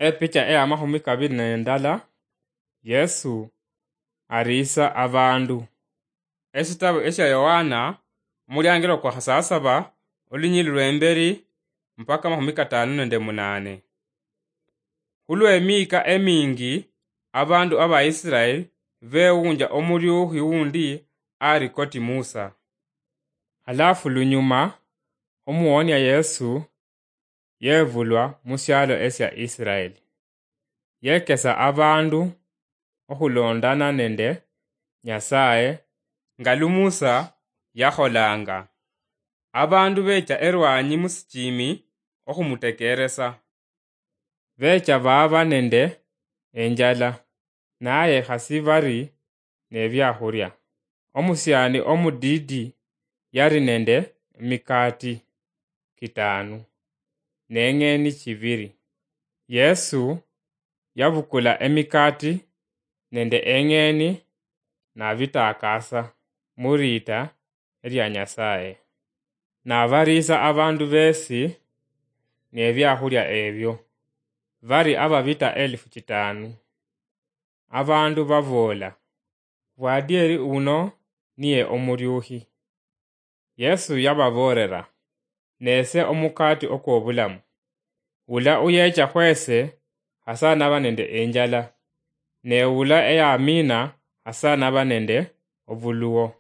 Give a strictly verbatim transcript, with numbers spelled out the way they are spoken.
Epicha eya mahumi kabiri nendala, Yesu ariisa abandu. Esitabu esya Yohana, omuliangiro kwa khasasaba, olunyili lwemberi mpaka mahumi katanu nende munane. Khulwemiika emingi, abandu aba Israeli bewunja omuryukhi wundi ari koti Musa. Halafu lunyuma, omuwonia Yesu yevulwa mu syalo esya Israeli. Yekesa abandu okhulondana nende Nyasaye nga lu Musa yakholanga. Abandu becha erwanyi musichimi okhumutekeresa. Becha baaba nende enjala, naye khasi bari nebyakhulya. Omusiani omudidi yari nende emikati kitanu neng'eni chibiri. Yesu yabukula emikati nende eng'eni nabitakasa muriita eria Nyasaye. Nabariisa abandu besi nebyakhulya ebyo, bari ababita elifu chitanu. Abandu baboola, "Bwadieri uno niye omuryukhi." Yesu yababoolera, "Nese omukati okwobulamu. Ula uyecha khwese, hasa naba nende enjala, ne ula eyamina, hasa naba nende obuluwo."